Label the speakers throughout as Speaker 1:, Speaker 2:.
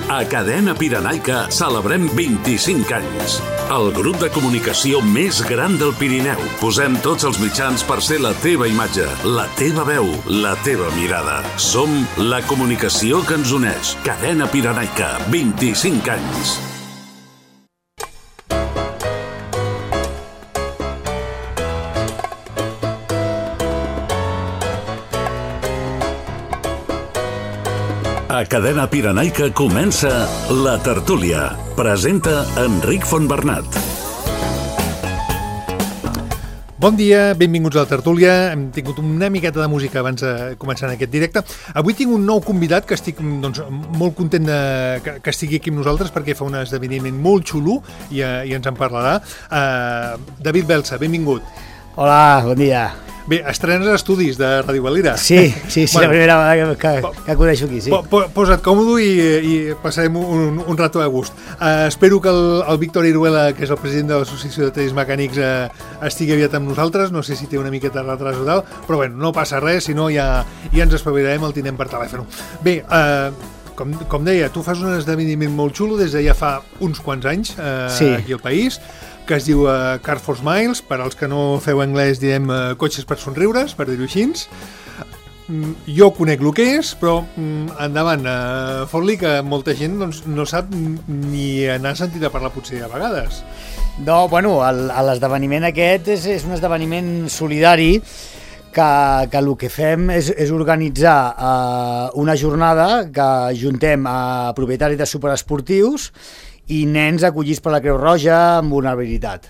Speaker 1: A Cadena Pirenaica celebrem 25 anys. El grup de comunicació més gran del Pirineu. Posem tots els mitjans per ser la teva imatge, la teva veu, la teva mirada. Som la comunicació que ens uneix. Cadena Pirenaica, 25 anys. A Cadena Pirenaica comença La Tertúlia. Presenta Enric Fontbernat.
Speaker 2: Bon dia, benvinguts a La Tertúlia. Hem tingut una miqueta de música abans de començar en aquest directe. Avui tinc un nou convidat que estic molt content que estigui aquí amb nosaltres perquè fa un esdeveniment molt xulo i ens en parlarà. David Belsa, benvingut.
Speaker 3: Hola, bon dia.
Speaker 2: Bé, estrenes estudis de Ràdio Valira.
Speaker 3: Sí, bueno, la primera vegada que coneixo aquí, sí.
Speaker 2: Posa't còmode i passarem un rato a gust. Espero que el Víctor Iruela, que és el president de l'Associació de Tallers Mecànics, estigui aviat amb nosaltres. No sé si té una miqueta de retras o tal, però bueno, no passa res, si no ja ens espavilarem, el tindrem per telèfon. Bé, com deia, tu fas un esdeveniment molt xulo des de ja fa uns quants anys aquí al país, que es diu Car for Smiles. Per als que no feu anglès direm cotxes per somriures, per dir-ho així. Jo conec el que és, però endavant, fot-li, que molta gent no sap ni n'ha sentit a parlar potser a vegades.
Speaker 3: No, bueno, l'esdeveniment aquest és un esdeveniment solidari que el que fem és organitzar una jornada que juntem a propietaris de superesportius i nens acollits per la Creu Roja amb vulnerabilitat.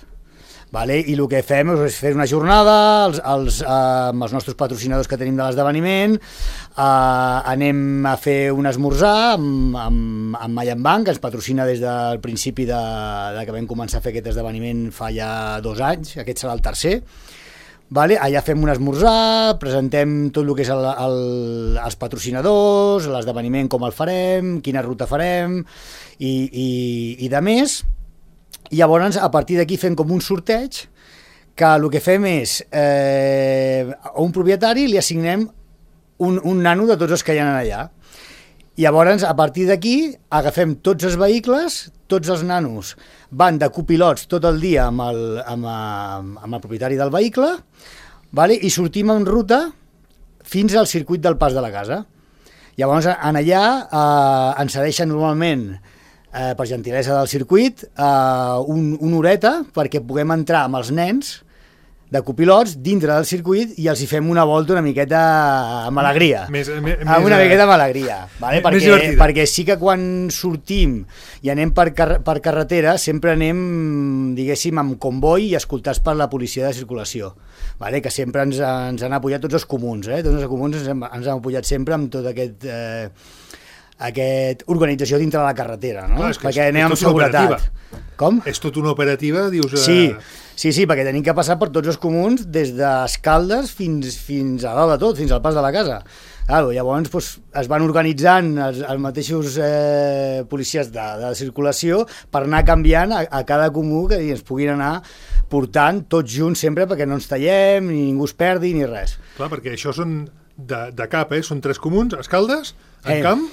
Speaker 3: I el que fem és fer una jornada amb els nostres patrocinadors que tenim de l'esdeveniment, anem a fer un esmorzar amb Mayan Bank, que ens patrocina des del principi de que vam començar a fer aquest esdeveniment fa ja 2 anys, aquest serà el tercer. Allà fem un esmorzar, presentem tot el que és els patrocinadors, l'esdeveniment, com el farem, quina ruta farem i de més. I llavors, a partir d'aquí fem com un sorteig, que el que fem és a un propietari li assignem un nano de tots els que hi ha allà. Llavors, a partir d'aquí, agafem tots els vehicles, tots els nanos van de copilots tot el dia amb el propietari del vehicle, i sortim en ruta fins al circuit del Pas de la Casa. Llavors, en allà ens cedeixen normalment, per gentilesa del circuit, una horeta perquè puguem entrar amb els nens de copilots dintre del circuit i els hi fem una volta una miqueta amb alegria. Una miqueta amb alegria. Perquè sí que quan sortim i anem per carretera sempre anem, diguéssim, amb comboi i escoltats per la policia de circulació. Que sempre ens han apoyat tots els comuns. Tots els comuns ens han apoyat sempre amb tot aquest organització dintre de la carretera, no? Perquè anem amb seguretat. Com?
Speaker 2: És tot una operativa, dius...
Speaker 3: Sí, perquè tenim que passar per tots els comuns, des d'Escaldes fins a dalt de tot, fins al Pas de la Casa. Llavors es van organitzant els mateixos policies de circulació per anar canviant a cada comú que ens puguin anar portant tots junts sempre perquè no ens tallem, ni ningú es perdi, ni res.
Speaker 2: Clar, perquè això són de cap, són 3 comuns, Escaldes, Encamp,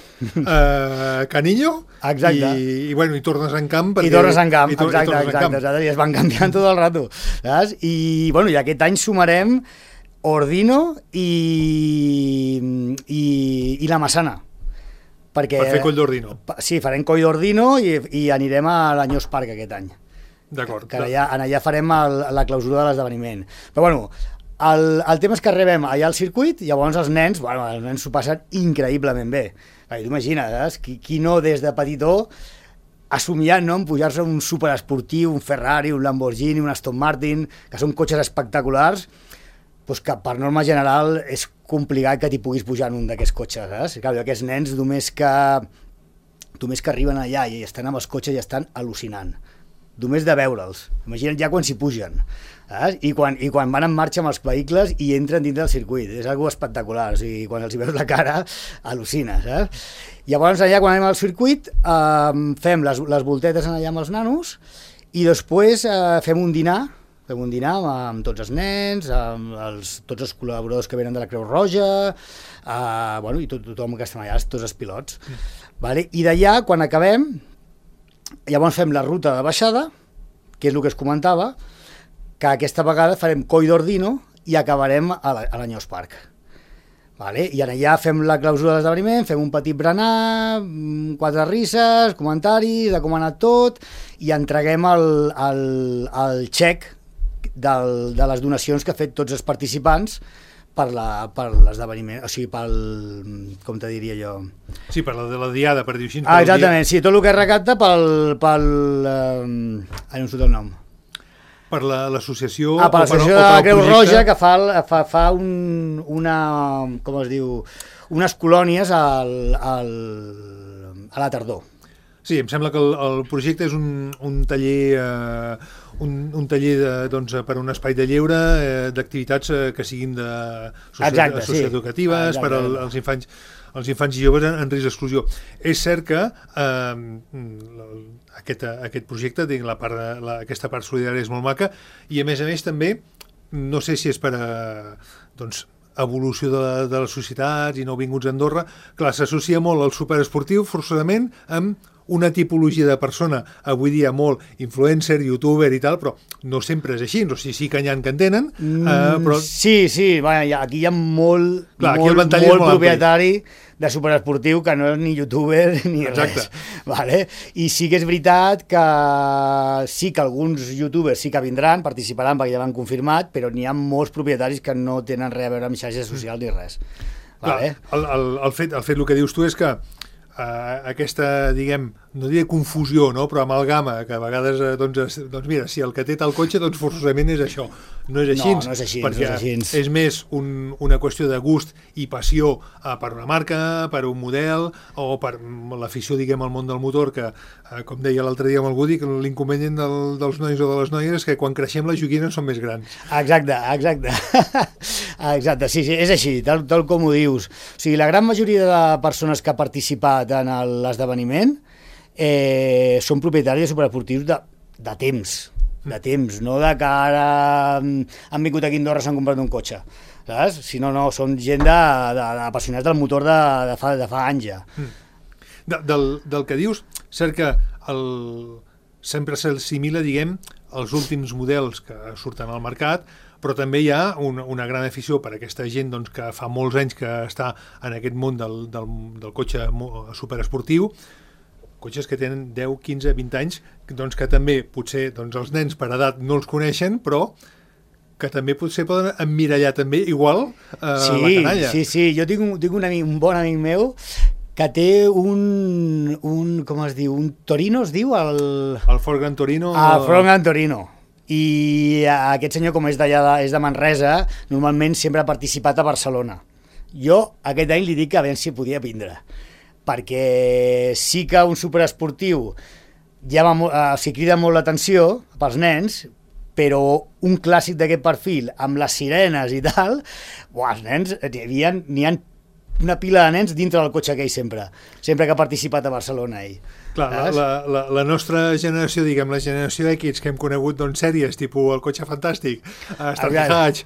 Speaker 2: Canillo, i tornes a Encamp.
Speaker 3: I tornes a Encamp, exacte, i es van canviant tot el rato. I aquest any sumarem Ordino i la Massana.
Speaker 2: Per fer Coll d'Ordino.
Speaker 3: Sí, farem Coll d'Ordino i anirem a l'Anyós Park aquest any.
Speaker 2: D'acord.
Speaker 3: Allà farem la clausura de l'esdeveniment. Però el tema és que arribem allà al circuit i llavors els nens s'ho passen increïblement bé. Tu imagines, qui no des de petitó ha somiat en pujar-se un superesportiu, un Ferrari, un Lamborghini, un Aston Martin, que són cotxes espectaculars, que per norma general és complicat que t'hi puguis pujar en un d'aquests cotxes. Aquests nens només que arriben allà i estan amb els cotxes i estan al·lucinant. Només de veure'ls. Imagina't ja quan s'hi pugen. I quan van en marxa amb els vehicles i entren dins del circuit. És algo espectacular. Quan els hi veus la cara, al·lucines. Llavors, allà, quan anem al circuit, fem les voltetes allà amb els nanos i després fem un dinar amb tots els nens, amb tots els col·laboradors que venen de la Creu Roja, i tothom que estan allà, tots els pilots. Vale? I d'allà, quan acabem, llavors fem la ruta de baixada, que és el que es comentava, que aquesta vegada farem Coll d'Ordino i acabarem a l'Anyós Park. Vale? I allà fem la clausura de l'esdeveniment, fem un petit berenar, 4 risses, comentaris de com ha anat tot, i entreguem el xec de les donacions que ha fet tots els participants per l'esdeveniment, o sigui, com te diria jo?
Speaker 2: Sí, per la diada, per dir així.
Speaker 3: Exactament, sí, tot el que es recapta no em surt el nom.
Speaker 2: Per l'associació...
Speaker 3: Per l'associació de la Creu Roja, que fa com es diu, unes colònies a la tardor.
Speaker 2: Sí, em sembla que el projecte és un taller un taller per un espai de lleure d'activitats que siguin socioeducatives per als infants i joves en risc d'exclusió. És cert que aquest projecte, aquesta part solidària és molt maca i a més també, no sé si és per evolució de les societats i nouvinguts a Andorra, clar, s'associa molt al superesportiu forçosament amb una tipologia de persona, avui dia molt influencer, youtuber i tal, però no sempre és així, o sigui, sí que n'hi ha que en tenen, però...
Speaker 3: Sí, aquí hi ha molt propietari de superesportiu que no és ni youtuber ni res. Vale? I sí que és veritat que sí que alguns youtubers sí que vindran, participaran perquè ja l'han confirmat, però n'hi ha molts propietaris que no tenen res a veure amb xarxes socials ni res. Vale?
Speaker 2: El fet el que dius tu és que aquesta, diguem, no diré confusió, no? Però amalgama, que a vegades, mira, si el que té tal cotxe, forçosament és això. No és així,
Speaker 3: no és així,
Speaker 2: perquè és més una qüestió de gust i passió per una marca, per un model, o per l'afició, diguem, al món del motor, que, com deia l'altre dia amb el Woody, l'inconvenient dels nois o de les noies és que quan creixem les joguines són més grans.
Speaker 3: Exacte. Exacte, sí, és així, tal com ho dius. O sigui, la gran majoria de persones que ha participat en l'esdeveniment són propietaris de superesportius de temps, no de que ara han vingut aquí a Andorra i s'han comprat un cotxe, saps? Sinó, són gent d'apassionats del motor de fa anys ja.
Speaker 2: Del que dius, cert que sempre s'assimila, diguem, als últims models que surten al mercat, però també hi ha una gran afició per aquesta gent que fa molts anys que està en aquest món del cotxe superesportiu, cotxes que tenen 10, 15, 20 anys, que també potser els nens per edat no els coneixen, però que també potser poden emmirallar també igual la canalla.
Speaker 3: Sí, jo tinc un bon amic meu que té com es diu, un Torino es diu?
Speaker 2: El Ford Gran Torino.
Speaker 3: El Ford Gran Torino. I aquest senyor, com és de Manresa, normalment sempre ha participat a Barcelona. Jo aquest any li dic que a veure si podia vindre, perquè sí que un superesportiu crida molt l'atenció pels nens, però un clàssic d'aquest perfil, amb les sirenes i tal, els nens, n'hi ha una pila de nens dintre del cotxe aquell sempre que ha participat a Barcelona ell.
Speaker 2: Clar, la nostra generació, diguem, la generació X que hem conegut sèries tipus El cotxe fantàstic, Starty Hatch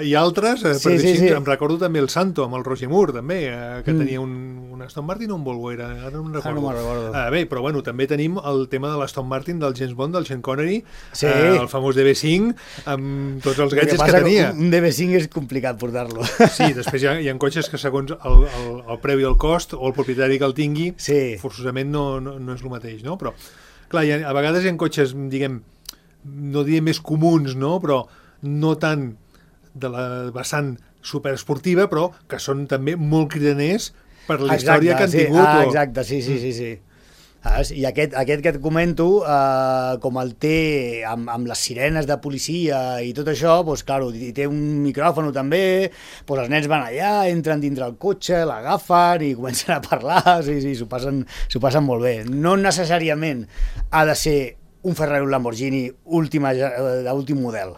Speaker 2: i altres, em recordo també el Santo amb el Roger Moore també, que tenia un Aston Martin o un Volvo era, ara no me'n recordo.
Speaker 3: No me'n recordo.
Speaker 2: Bé, però bueno, també tenim el tema de l'Aston Martin del James Bond, del Sean Connery, el famós DB5 amb tots els gadgets que tenia.
Speaker 3: Un DB5 és complicat portar-lo.
Speaker 2: Sí, després hi ha cotxes que segons el preu i el cost o el propietari que el tingui, forçosament no és el mateix, no? Però, clar, a vegades hi ha cotxes, diguem, no diré més comuns, no? Però no tant de la vessant superesportiva, però que són també molt cridaners per la història que han tingut.
Speaker 3: Exacte, sí. I aquest que et comento, com el té amb les sirenes de policia i tot això, doncs, clar, i té un micròfon també, doncs els nens van allà, entren dintre el cotxe, l'agafen i comencen a parlar, sí, s'ho passen molt bé. No necessàriament ha de ser un Ferrari o un Lamborghini d'últim model,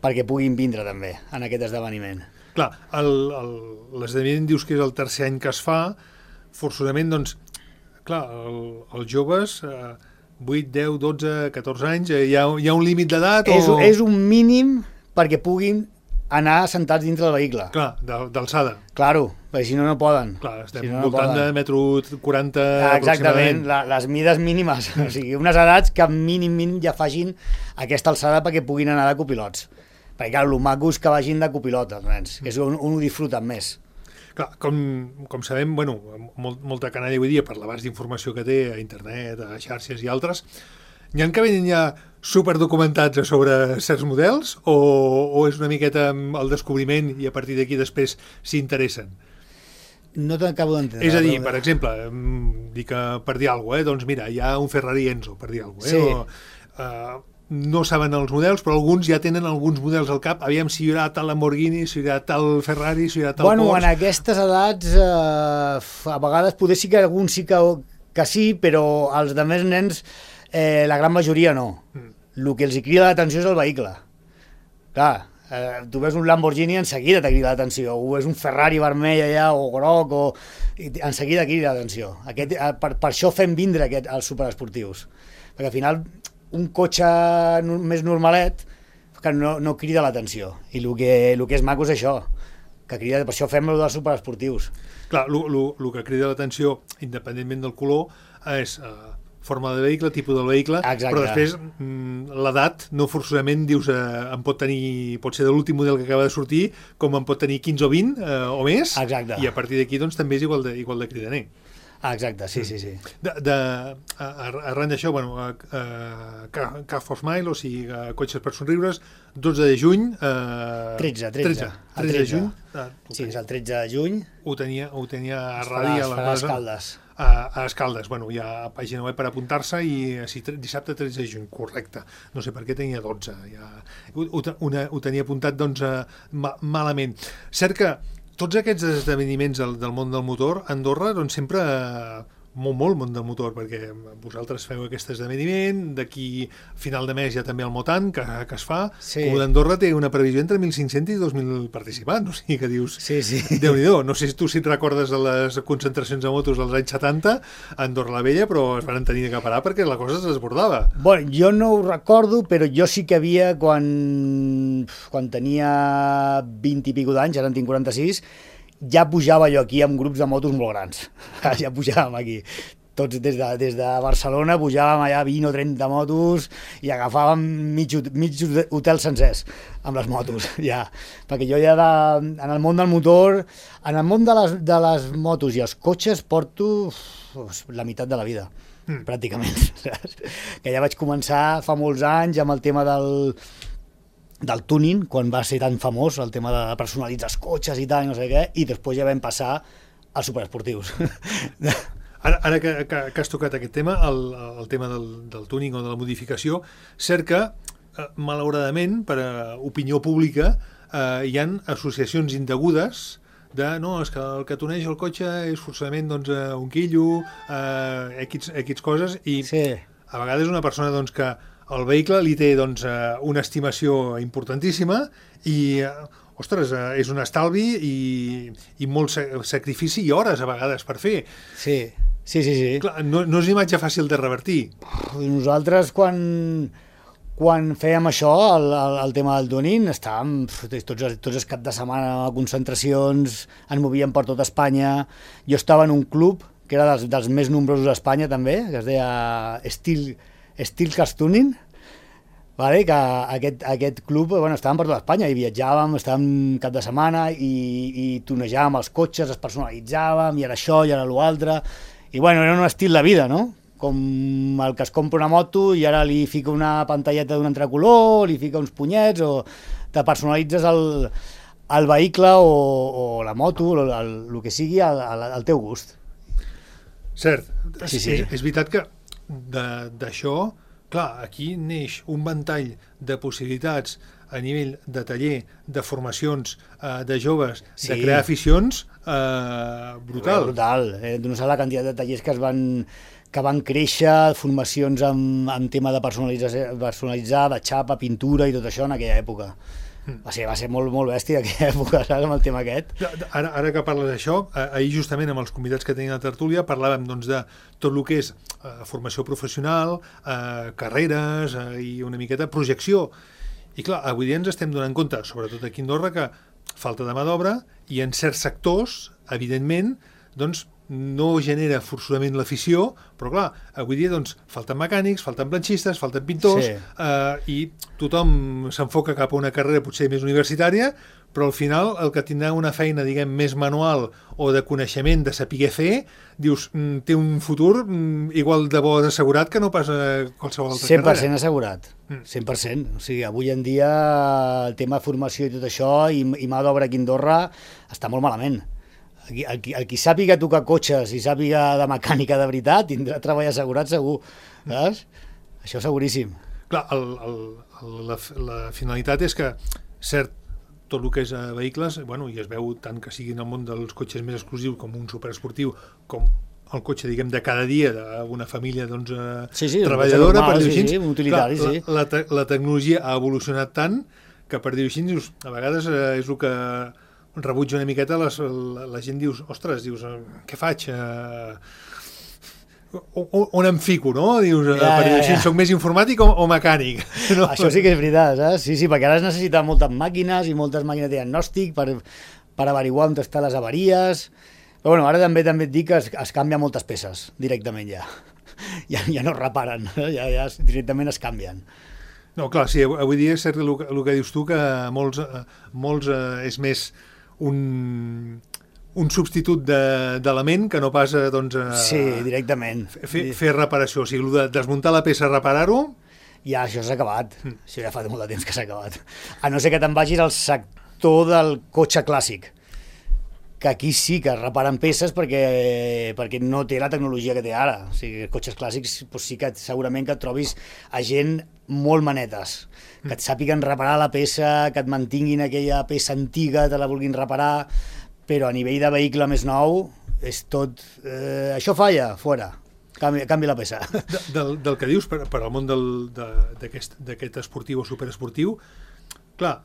Speaker 3: perquè puguin vindre també en aquest esdeveniment.
Speaker 2: Clar, l'esdeveniment dius que és el tercer any que es fa, forçosament, doncs, clar, els joves, 8, 10, 12, 14 anys, hi ha un límit d'edat?
Speaker 3: És un mínim perquè puguin anar sentats dintre del vehicle.
Speaker 2: Clar, d'alçada.
Speaker 3: Claro, perquè si no, no poden.
Speaker 2: Clar, estem
Speaker 3: si no,
Speaker 2: voltant de metro 40
Speaker 3: exactament, les mides mínimes. O sigui, unes edats que mínim ja facin aquesta alçada perquè puguin anar de copilots. Perquè, clar, el maco és que vagin de copilot, els nens, que és on ho disfruten més.
Speaker 2: Clar, com sabem, bueno, molta canalla avui dia per l'abast d'informació que té a internet, a xarxes i altres, n'hi ha que venen ja superdocumentats sobre certs models o és una miqueta el descobriment i a partir d'aquí després s'interessen?
Speaker 3: No t'acabo d'entendre.
Speaker 2: És a dir, per exemple, dic que per dir alguna cosa, doncs mira, hi ha un Ferrari Enzo, per dir alguna cosa,
Speaker 3: Sí.
Speaker 2: No saben els models, però alguns ja tenen alguns models al cap, aviam si hi haurà tal Lamborghini, si hi haurà tal Ferrari, si hi haurà tal
Speaker 3: Porsche.
Speaker 2: Porsche.
Speaker 3: En aquestes edats, a vegades poder sí que algun sí que sí, però els de més nens, la gran majoria no. El que els crida l'atenció és el vehicle. Clar, tu ves un Lamborghini, en seguida te crida l'atenció, o és un Ferrari vermell allà, o groc, en seguida crida l'atenció. Per això fem vindre els superesportius, perquè al final un cotxe més normalet que no crida l'atenció, i el que és maco és això, que crida, per això fem el dels superesportius.
Speaker 2: Clar, el que crida l'atenció, independentment del color, és forma de vehicle, tipus del vehicle.
Speaker 3: Exacte.
Speaker 2: Però després l'edat no forçosament dius pot ser de l'últim model que acaba de sortir, com en pot tenir 15 o 20 o més.
Speaker 3: Exacte.
Speaker 2: I a partir d'aquí doncs, també és igual de cridaner.
Speaker 3: Exacte, sí.
Speaker 2: Arran d'això, bueno, Car for Smile, o sigui, cotxes per somriures, 12 de juny...
Speaker 3: 13
Speaker 2: de juny.
Speaker 3: Sí, és el 13 de juny.
Speaker 2: Ho tenia a ràdio
Speaker 3: a Escaldes.
Speaker 2: A Escaldes, bueno, hi ha pàgina web per apuntar-se i dissabte 13 de juny, correcte. No sé per què tenia 12. Ho tenia apuntat, doncs, malament. Cert que tots aquests esdeveniments del món del motor, a Andorra, doncs sempre molt món del motor, perquè vosaltres feu aquest esdeveniment, d'aquí a final de mes hi ha també el Motan, que es fa,
Speaker 3: sí.
Speaker 2: Com d'Andorra té una previsió entre 1.500 i 2.000 participants, o sigui que dius,
Speaker 3: sí.
Speaker 2: Déu-n'hi-do, no sé si tu et recordes de les concentracions de motos dels anys 70 a Andorra la Vella, però es van tenir que parar perquè la cosa es desbordava.
Speaker 3: Bueno, jo no ho recordo, però jo sí que havia, quan tenia 20 i pico d'anys, ara en tinc 46, ja pujava jo aquí amb grups de motos molt grans. Ja pujàvem aquí. Tots des de Barcelona pujàvem allà 20 o 30 motos i agafàvem mig hotels sencers amb les motos, ja. Perquè jo ja en el món del motor, en el món de les motos i els cotxes porto la meitat de la vida, pràcticament. Que ja vaig començar fa molts anys amb el tema del tuning, quan va ser tan famós el tema de personalitzar els cotxes i tal, no sé què, i després ja vam passar als superesportius.
Speaker 2: Ara que has tocat aquest tema, el tema del tuning o de la modificació, cert que, malauradament, per a opinió pública, hi ha associacions indegudes no, és que el que tuneja el cotxe és forçament un quillo, X coses, i sí. A vegades una persona que el vehicle li té una estimació importantíssima i, ostres, és un estalvi i molt sacrifici i hores a vegades per fer.
Speaker 3: Sí.
Speaker 2: Clar, no és una imatge fàcil de revertir.
Speaker 3: Nosaltres quan fèiem això, el tema del tuning, estàvem tots els caps de setmana a concentracions, ens movíem per tot Espanya. Jo estava en un club que era dels més nombrosos d'Espanya també, que es deia Steel Cars Tuning, vale? Que aquest club estàvem per tota Espanya i viatjàvem, estàvem cap de setmana i tunejàvem els cotxes, els personalitzàvem, i era això, i era l'altre, i era un estil de vida, no? Com el que es compra una moto i ara li fica una pantalleta d'un altre color, li fica uns punyets, o te personalitzes el vehicle o la moto, el que sigui, al teu gust.
Speaker 2: Cert,
Speaker 3: sí.
Speaker 2: És veritat que d'això, clar, aquí neix un ventall de possibilitats a nivell de taller, de formacions, de joves, sí. De crear aficions, brutal.
Speaker 3: Brutal, no saps la quantitat de tallers que van créixer, formacions amb tema de personalitzar, de xapa, pintura i tot això en aquella època. Va ser molt bèstia aquella època, saps, amb el tema aquest.
Speaker 2: Ara que parles d'això, ahir justament amb els convidats que tenien a la tertúlia parlàvem de tot el que és formació professional, carreres i una miqueta projecció. I clar, avui dia ens estem donant compte, sobretot aquí a Andorra, que falta de mà d'obra i en certs sectors, evidentment, doncs no genera forçosament l'afició, però clar, avui dia doncs, falten mecànics, falten planxistes, falten pintors, i tothom s'enfoca cap a una carrera potser més universitària, però al final el que tindrà una feina, diguem, més manual o de coneixement, de saber fer, dius, té un futur igual de bo assegurat que no pas qualsevol altra
Speaker 3: 100%
Speaker 2: carrera.
Speaker 3: 100% assegurat, 100%. O sigui, avui en dia el tema de formació i tot això, i mà d'obra aquí a Andorra, està molt malament. El qui sàpiga tocar cotxes i sàpiga de mecànica de veritat tindrà treball assegurat segur, saps? Això seguríssim.
Speaker 2: Clar, la finalitat és que, cert, tot el que és vehicles, bueno, i es veu tant que sigui en el món dels cotxes més exclusius com un superesportiu, com el cotxe, diguem, de cada dia d'una família doncs, treballadora,
Speaker 3: normal,
Speaker 2: per dir-ho així.
Speaker 3: un utilitari,
Speaker 2: clar, la tecnologia ha evolucionat tant que, per dir-ho així, dius, a vegades és el que rebutja una miqueta, la gent dius, ostres, què faig? On em fico, no? Dius, per dir-ho així, soc més informàtic o mecànic? No?
Speaker 3: Això sí que és veritat, saps? Sí, perquè ara es necessiten moltes màquines i moltes màquines de diagnòstic per averiguar on estan les avaries. Però bueno, ara també et dic que es canvien moltes peces directament ja. Ja no es reparen, ja directament es canvien.
Speaker 2: No, clar, sí, avui dia és cert el que dius tu, que molts és més un substitut d'element que no pas doncs,
Speaker 3: sí, directament.
Speaker 2: Fer reparació, o sigui, el de desmuntar la peça, reparar-ho...
Speaker 3: Ja, això s'ha acabat. Això ja fa molt de temps que s'ha acabat. A no ser que te'n vagis al sector del cotxe clàssic, que aquí sí que es reparen peces perquè no té la tecnologia que té ara. O sigui, els cotxes clàssics doncs sí que segurament que et trobis a gent molt manetes, que et sàpiguen reparar la peça, que et mantinguin aquella peça antiga, te la vulguin reparar, però a nivell de vehicle més nou és tot... això falla, fora, canvi la peça.
Speaker 2: Del que dius, per al món d'aquest esportiu o superesportiu, clar,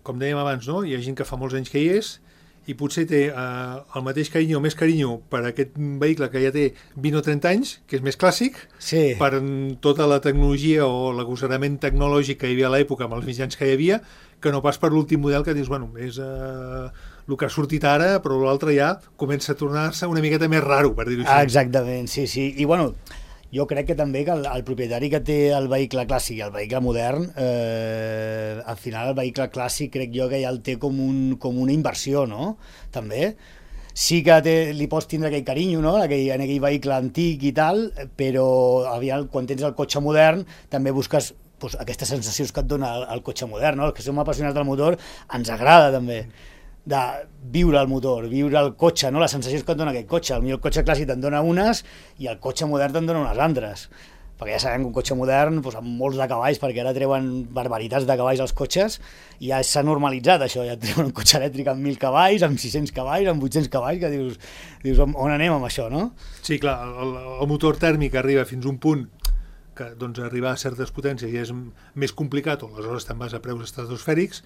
Speaker 2: com dèiem abans, no? Hi ha gent que fa molts anys que hi és, i potser té el mateix carinyo o més carinyo per aquest vehicle que ja té 20 o 30 anys, que és més clàssic,
Speaker 3: sí,
Speaker 2: per tota la tecnologia o l'agosarament tecnològic que hi havia a l'època amb els mitjans que hi havia, que no pas per l'últim model que dius, bueno, és el que ha sortit ara, però l'altre ja comença a tornar-se una miqueta més raro, per dir-ho així.
Speaker 3: Exactament, sí. I bueno, jo crec que també que el propietari que té el vehicle clàssic i el vehicle modern, al final el vehicle clàssic crec jo que ja el té com una inversió, no? També. Sí que li pots tindre aquell carinyo, no? En aquell vehicle antic i tal, però quan tens el cotxe modern també busques doncs, aquestes sensacions que et dona el cotxe modern, no? Els que som apassionats del motor ens agrada també de viure el motor, viure el cotxe, no? Les sensacions que et dona aquest cotxe. Potser el cotxe clàssic te'n dona unes i el cotxe modern te'n dona unes altres. Perquè ja sabem que un cotxe modern, doncs, amb molts de cavalls, perquè ara treuen barbaritats de cavalls als cotxes, i ja s'ha normalitzat això, ja treuen un cotxe elèctric amb 1.000 cavalls, amb 600 cavalls, amb 800 cavalls, que dius on anem amb això, no?
Speaker 2: Sí, clar, el motor tèrmic arriba fins a un punt que doncs, arribar a certes potències ja és més complicat, o aleshores te'n vas a preus estratosfèrics.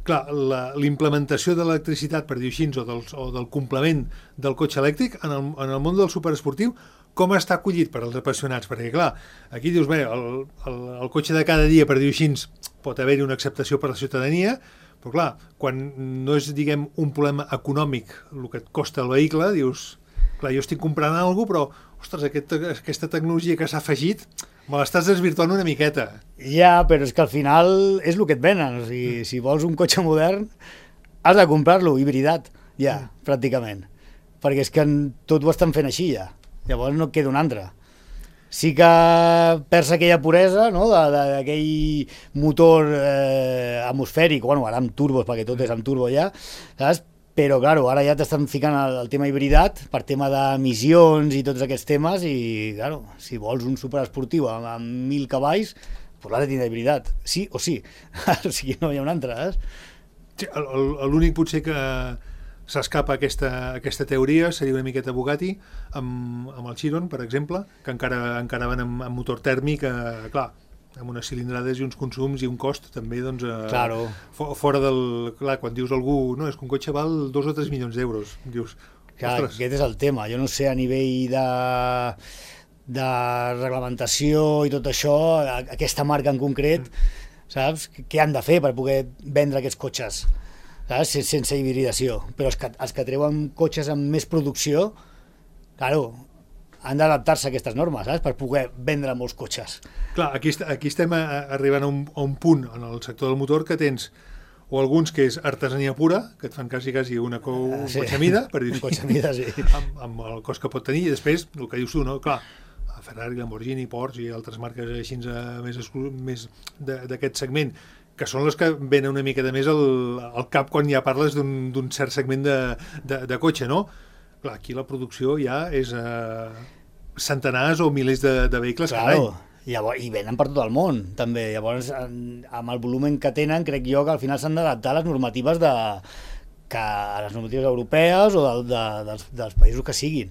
Speaker 2: Clar, l'implementació de l'electricitat, per dir-ho així, o del complement del cotxe elèctric en el món del superesportiu, com està acollit per als apassionats? Perquè, clar, aquí dius, bé, el cotxe de cada dia, per dir-ho així, pot haver-hi una acceptació per la ciutadania, però, clar, quan no és, diguem, un problema econòmic el que et costa el vehicle, dius, clar, jo estic comprant alguna cosa, però, ostres, aquesta tecnologia que s'ha afegit, me l'estàs desvirtuant una miqueta.
Speaker 3: Ja, però és que al final és el que et venen. O sigui, si vols un cotxe modern, has de comprar-lo hibridat, ja, pràcticament. Perquè és que tot ho estan fent així, ja. Llavors no et queda un altre. Sí que perds aquella puresa, no?, d'aquell motor atmosfèric, bueno, ara amb turbos, perquè tot és amb turbo ja, saps? Però, clar, ara ja t'estan ficant el tema hibridat per tema d'emissions i tots aquests temes i, clar, si vols un superesportiu amb 1.000 cavalls, doncs l'has de tindre hibridat, sí o sí. O sigui, no hi ha un altre,
Speaker 2: Sí, l'únic potser que s'escapa aquesta teoria seria una miqueta Bugatti amb el Chiron, per exemple, que encara van amb motor tèrmic, clar, amb unes cilindrades i uns consums i un cost també, doncs,
Speaker 3: claro,
Speaker 2: fora del... Clar, quan dius algú, no, és que un cotxe val 2 o 3 milions d'euros, dius,
Speaker 3: clar,
Speaker 2: ostres.
Speaker 3: aquest és el tema, jo no sé a nivell de reglamentació i tot això, aquesta marca en concret, saps? Què han de fer per poder vendre aquests cotxes, saps? Sense hibridació. Però els que treuen cotxes amb més producció, claro, han d'adaptar-se a aquestes normes, saps? Per poder vendre molts cotxes.
Speaker 2: Clar, aquí estem arribant a un punt en el sector del motor que tens o alguns que és artesania pura, que et fan quasi un cotxe mida, per dir-ho
Speaker 3: així,
Speaker 2: amb el cost que pot tenir, i després, el que dius tu, no? Clar, Ferrari, Lamborghini, Porsche i altres marques així més d'aquest segment, que són les que venen una mica de més al cap quan ja parles d'un cert segment de cotxe, no? Clar, aquí la producció ja és centenars o milers de vehicles cada any.
Speaker 3: I venen per tot el món, també. Llavors, amb el volum que tenen, crec jo que al final s'han d'adaptar a les normatives a les normatives europees o dels països que siguin.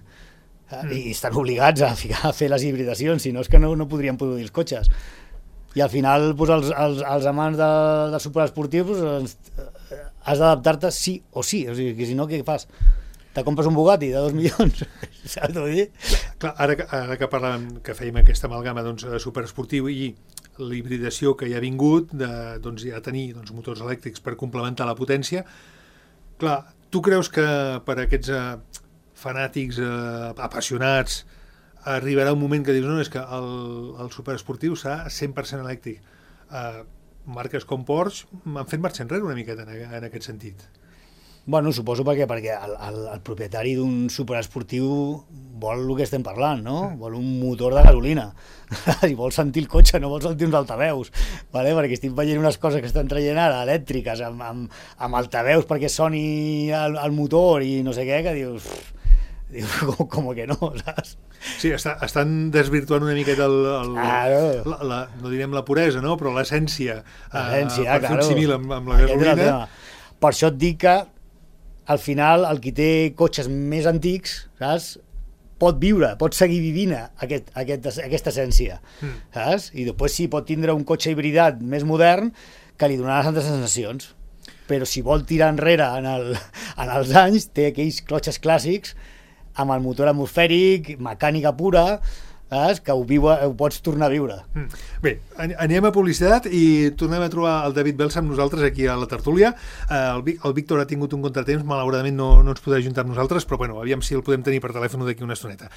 Speaker 3: I estan obligats a fer les hibridacions, si no és que no podrien produir els cotxes. I al final, els amants del superesportiu, has d'adaptar-te sí o sí. O sigui, que si no, què fas? Te compres un Bugatti de 2 milions, saps què vull dir?
Speaker 2: Clar, ara que parlàvem, que fèiem aquesta amalgama superesportiu i la hibridació que hi ha vingut, ja tenir motors elèctrics per complementar la potència, clar, tu creus que per aquests fanàtics apassionats arribarà un moment que dius, no, és que el superesportiu serà 100% elèctric. Marques com Porsche han fet marxa enrere una miqueta en aquest sentit.
Speaker 3: Bueno, suposo perquè el propietari d'un superesportiu vol el que estem parlant, no? Vol un motor de gasolina i vol sentir el cotxe, no vol sentir uns altaveus, vale? Perquè estic veient unes coses que estan traient ara elèctriques amb altaveus perquè soni el motor i no sé què, que dius com que no, saps?
Speaker 2: Sí, estan desvirtuant una miqueta no direm la puresa, no? Però l'essència per fer un símil amb la gasolina.
Speaker 3: Per això et dic que al final el qui té cotxes més antics, saps, pot seguir vivint aquesta essència, saps? I després sí, pot tindre un cotxe hibridat més modern que li donarà altres sensacions, però si vol tirar enrere en els anys, té aquells cotxes clàssics amb el motor atmosfèric, mecànica pura, saps? Que ho pots tornar a viure.
Speaker 2: Bé, anem a publicitat i tornem a trobar el David Belsa amb nosaltres aquí a la tertúlia. El Víctor ha tingut un contratemps, malauradament no ens podrà ajuntar amb nosaltres, però bueno, aviam si el podem tenir per telèfon d'aquí una estoneta.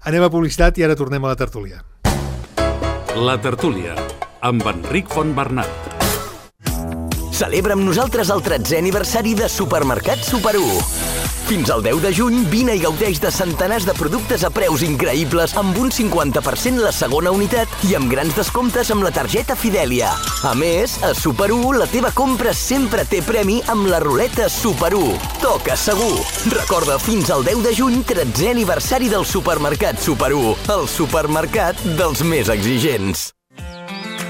Speaker 2: Anem a publicitat i ara tornem a la tertúlia.
Speaker 1: La tertúlia, amb Enric Fontbernat.
Speaker 4: Celebra amb nosaltres el 13è aniversari de Supermercat Super 1. Fins al 10 de juny, vine i gaudeix de centenars de productes a preus increïbles amb un 50% la segona unitat i amb grans descomptes amb la targeta Fidèlia. A més, a Super 1 la teva compra sempre té premi amb la ruleta Super 1. Toca segur! Recorda, fins al 10 de juny, 13è aniversari del Supermercat Super 1, el supermercat dels més exigents.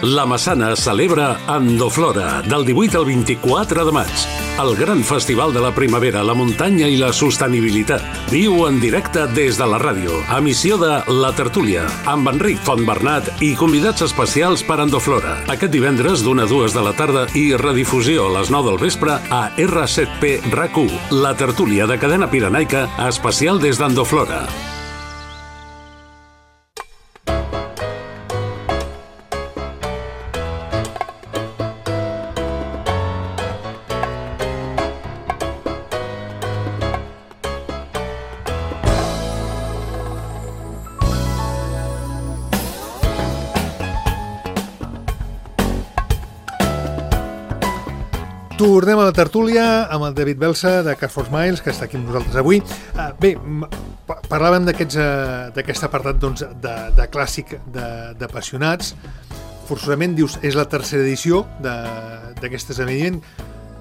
Speaker 1: La Massana celebra Andoflora del 18 al 24 de maig. El gran festival de la primavera, la muntanya i la sostenibilitat. Viu en directe des de la ràdio. Emissió de La Tertúlia, amb Enric Fontbernat i convidats especials per Andoflora. Aquest divendres d'1 a 2 de la tarda i redifusió a les 9 del vespre a R7P RAC1. La Tertúlia de Cadena Pirenaica, especial des d'Andoflora.
Speaker 2: Tornem a la tertúlia amb el David Belsa de Car for Smiles, que està aquí amb nosaltres avui. Bé, parlàvem d'aquest apartat de clàssic d'apassionats. Forçosament, dius, és la tercera edició d'aquest esdeveniment.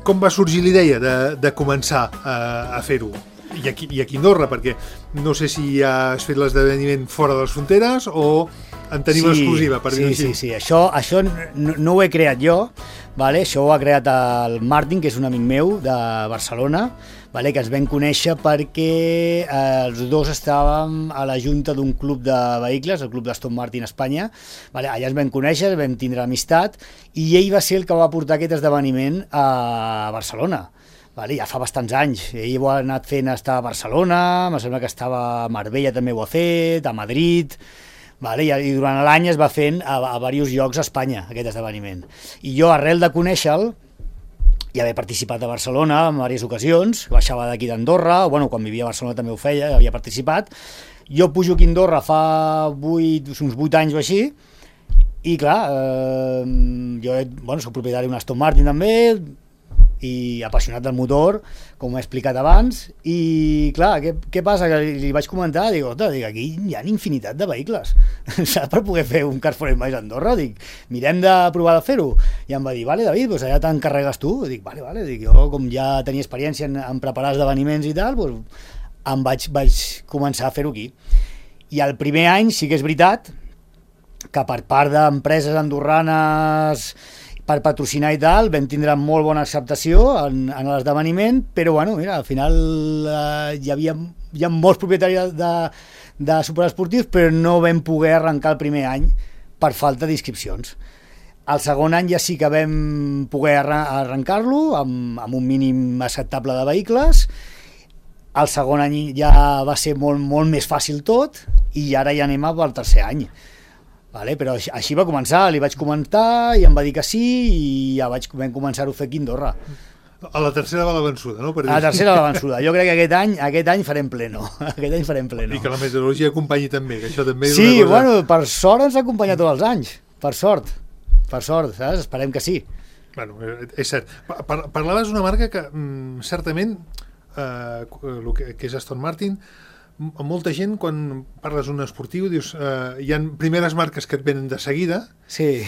Speaker 2: Com va sorgir la idea de començar a fer-ho? I aquí a Andorra, perquè no sé si ja has fet l'esdeveniment fora de les fronteres o en tenim l'exclusiva, per dir-ho així.
Speaker 3: Sí, això no ho he creat jo, vale? Això ho ha creat el Martin, que és un amic meu de Barcelona, vale? Que ens vam conèixer perquè els dos estàvem a la junta d'un club de vehicles, el club d'Aston Martin Espanya, vale? Allà ens vam conèixer, vam tindre amistat, i ell va ser el que va portar aquest esdeveniment a Barcelona. Vale, ja fa bastants anys, ell ho ha anat fent estar a Barcelona, em sembla que estava a Marbella també ho ha fet, a Madrid, Vale? I durant l'any es va fent a diversos llocs a Espanya, aquest esdeveniment. I jo, arrel de conèixer-lo, i haver participat a Barcelona en diverses ocasions, baixava d'aquí d'Andorra, bueno, quan vivia a Barcelona també ho feia, havia participat. Jo pujo aquí a Andorra fa uns 8 anys o així, i clar, jo soc propietari d'un Aston Martin també, i apassionat del motor, com he explicat abans, i clar, què passa? Que li vaig comentar, dic, aquí hi ha infinitat de vehicles, saps, per poder fer un Cars for Smiles a Andorra, dic, mirem de provar de fer-ho, i em va dir, vale, David, doncs allà t'encarregues tu, dic, vale, dic, jo com ja tenia experiència en preparar esdeveniments i tal, doncs vaig començar a fer-ho aquí. I el primer any sí que és veritat que per part d'empreses andorranes per patrocinar i tal, vam tindre molt bona acceptació en l'esdeveniment, però bueno, mira, al final hi ha molts propietaris de superesportius, però no vam poder arrencar el primer any per falta d'inscripcions. El segon any ja sí que vam poder arrencar-lo amb un mínim acceptable de vehicles. El segon any ja va ser molt més fàcil tot, i ara ja anem al tercer any. Vale, però així va començar, li vaig comentar i em va dir que sí, i ja vam començar-ho a fer aquí a Andorra.
Speaker 2: A la tercera va la vençuda, no?
Speaker 3: A la tercera va la vençuda. Jo crec que aquest any farem pleno. Aquest any farem pleno.
Speaker 2: I que la meteorologia acompanyi també, que això també és
Speaker 3: sí,
Speaker 2: una cosa...
Speaker 3: bueno, per sort ens acompanya tots els anys. Per sort, saps? Esperem que sí.
Speaker 2: Bueno, és cert. Parlaves d'una marca que certament, el que és Aston Martin, molta gent, quan parles d'un esportiu, dius, hi ha primeres marques que et venen de seguida,
Speaker 3: sí.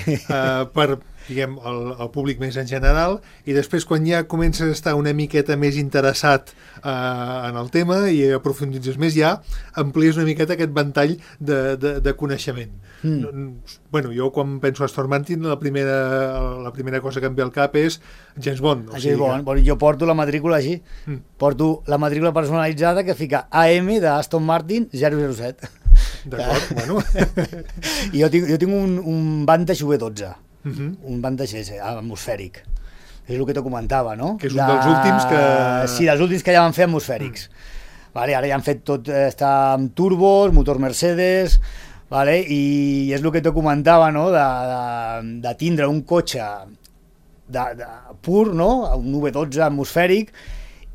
Speaker 2: Per, diguem, el públic més en general, i després quan ja comences a estar una miqueta més interessat en el tema i aprofunditzes més, ja amplies una miqueta aquest ventall de coneixement. Bueno, jo quan penso a Aston Martin, la primera cosa que em ve al cap és James Bond.
Speaker 3: James Bond. Jo porto la matrícula així, porto la matrícula personalitzada que fica AM de Aston Martin 007.
Speaker 2: D'acord, bueno.
Speaker 3: I jo tinc un Vantage V12, un Vantage S, atmosfèric. És el que te comentava, no?
Speaker 2: Que és un dels últims que...
Speaker 3: Sí, dels últims que ja van fer atmosfèrics. Vale, ara ja han fet tot, està amb turbos, motor Mercedes, vale? I és el que te comentava, no? De tindre un cotxe pur, no? Un V12 atmosfèric,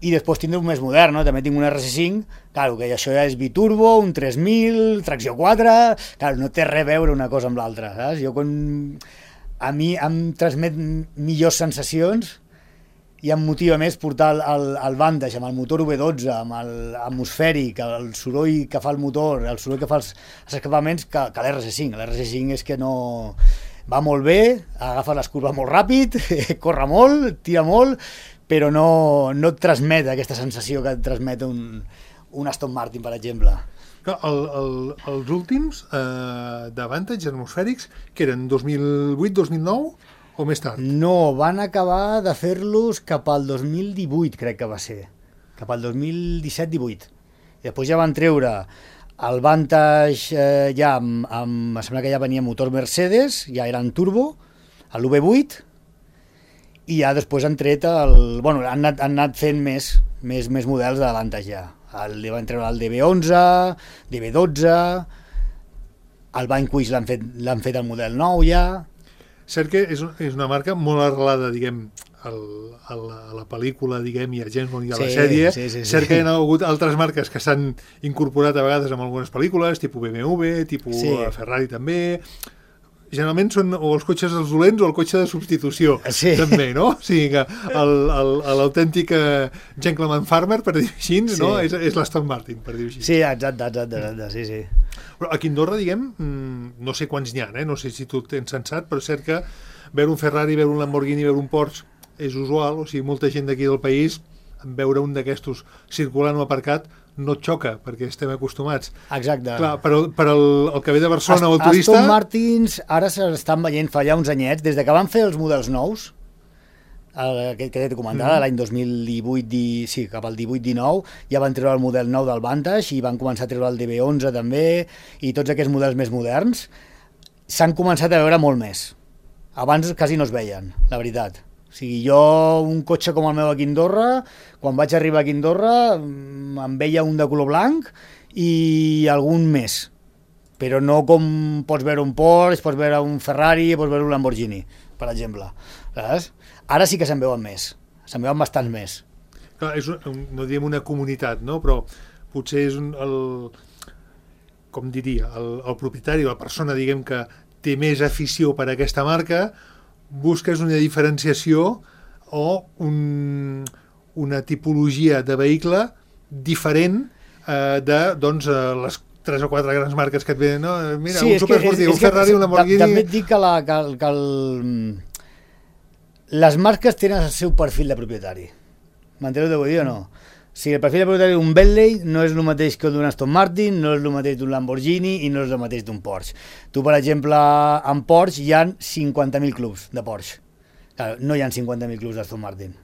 Speaker 3: i després tindre un més modern, no? També tinc un RC5, claro, que això ja és biturbo, un 3000, tracció 4, claro, no té res a veure una cosa amb l'altra, saps? A mi em transmet millors sensacions i em motiva més portar el Vantage amb el motor V12, amb l'atmosfèric, el soroll que fa el motor, el soroll que fa els escapaments, que l'RC5. L'RC5 és que no... va molt bé, agafa les curves molt ràpid, corre molt, tira molt, però no et transmet aquesta sensació que et transmet un Aston Martin, per exemple.
Speaker 2: Els últims de Vantage atmosfèrics, que eren 2008-2009 o més tard?
Speaker 3: No, van acabar de fer-los cap al 2018, crec que va ser. Cap al 2017-18. I després ja van treure el Vantage ja em sembla que ja venia motor Mercedes, ja eren turbo, l'UV8, i ja després han tret han anat fent més models de Vantage ja. Van treure el DB11, DB12, el Vanquish l'han fet el model nou ja.
Speaker 2: Cert que és una marca molt arrelada, diguem, a la pel·lícula, diguem, i a James Bond i a la sèrie. Sí. Cert que hi ha hagut altres marques que s'han incorporat a vegades en algunes pel·lícules, tipus BMW, tipus Ferrari també. Generalment són o els cotxes dels dolents o el cotxe de substitució, també, no? O sigui que l'autèntic gentleman farmer, per dir així, no? És l'Aston Martin, per dir així.
Speaker 3: Sí, exacte, sí.
Speaker 2: Però aquí a Andorra, diguem, no sé quants n'hi ha, no sé si tu tens sensat, però és cert que veure un Ferrari, veure un Lamborghini, veure un Porsche és usual, o sigui, molta gent d'aquí del país, veure un d'aquestos circulant o aparcat, no et xoca, perquè estem acostumats.
Speaker 3: Exacte.
Speaker 2: Clar, però el que ve de Barcelona o el turista...
Speaker 3: Aston Martins ara s'estan veient fa ja uns anyets, des que van fer els models nous, que t'he comentat, l'any 2018, sí, cap al 18-19, ja van treure el model nou del Vantage i van començar a treure el DB11 també, i tots aquests models més moderns s'han començat a veure molt més. Abans quasi no es veien, la veritat. O sigui, jo, un cotxe com el meu aquí a Andorra, quan vaig arribar aquí a Andorra, em veia un de color blanc i algun més. però no com pots veure un Porsche, pots veure un Ferrari, pots veure un Lamborghini, per exemple. Saps? Ara sí que se'n veuen més, se'n veuen bastants més.
Speaker 2: Clar, no diem una comunitat, no? Però potser és com diria, el propietari o la persona, diguem, que té més afició per a aquesta marca, busques una diferenciació o una tipologia de vehicle diferent de les 3 o 4 grans marques que et venen, no? Mira, sí, un superesportiu, un Ferrari, un Lamborghini...
Speaker 3: També et dic que les marques tenen el seu perfil de propietari. M'entens el que vull dir o no? Si el perfil de propietari d'un Bentley no és el mateix que d'un Aston Martin, no és el mateix d'un Lamborghini i no és el mateix d'un Porsche. Tu, per exemple, en Porsche hi ha 50.000 clubs de Porsche. Claro, no hi ha 50.000 clubs d'Aston Martin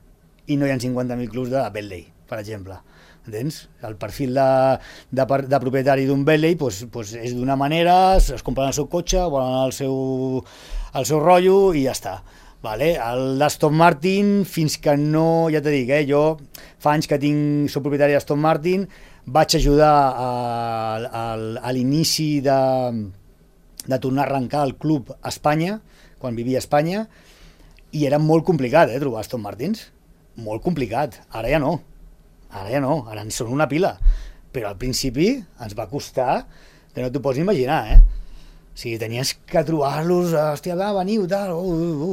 Speaker 3: i no hi ha 50.000 clubs de Bentley, per exemple. Entens? El perfil de propietari d'un Bentley pues és d'una manera, es compren el seu cotxe, volen el seu rotllo i ja està. Vale? El d'Aston Martin, fins que no, ja t'he dit, jo fa anys que soc propietari d'Aston Martin, vaig ajudar a l'inici de tornar a arrencar el club a Espanya, quan vivia a Espanya, i era molt complicat trobar Aston Martins, molt complicat, ara ja no, ara en són una pila, però al principi ens va costar que no t'ho pots imaginar, O sigui, tenies que trobar-los, hòstia, va, veniu, tal,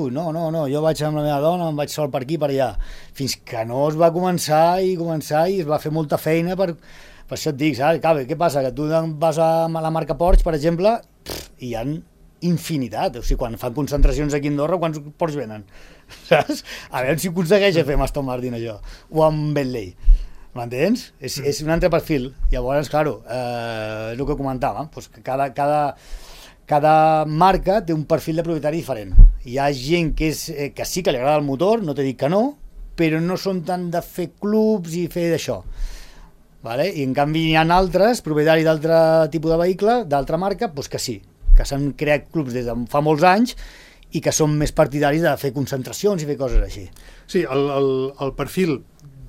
Speaker 3: no, jo vaig amb la meva dona, em vaig sol per aquí, per allà, fins que no es va començar i es va fer molta feina per això et dic, saps? Clar, què passa? Que tu vas a la marca Porsche, per exemple, i hi ha infinitat, o sigui, quan fan concentracions aquí a Andorra, quants Porsche venen? Saps? A veure si aconsegueix fer amb Aston Martin això, o amb Bentley. M'entens? És un altre perfil. Llavors, claro, és el que comentava, doncs que cada marca té un perfil de propietari diferent. Hi ha gent que sí que li agrada el motor, no t'he dit que no, però no són tant de fer clubs i fer d'això. Vale? I en canvi hi ha altres, propietaris d'altre tipus de vehicle, d'altra marca, doncs que sí, que s'han creat clubs des de fa molts anys i que són més partidaris de fer concentracions i fer coses així.
Speaker 2: Sí, el perfil,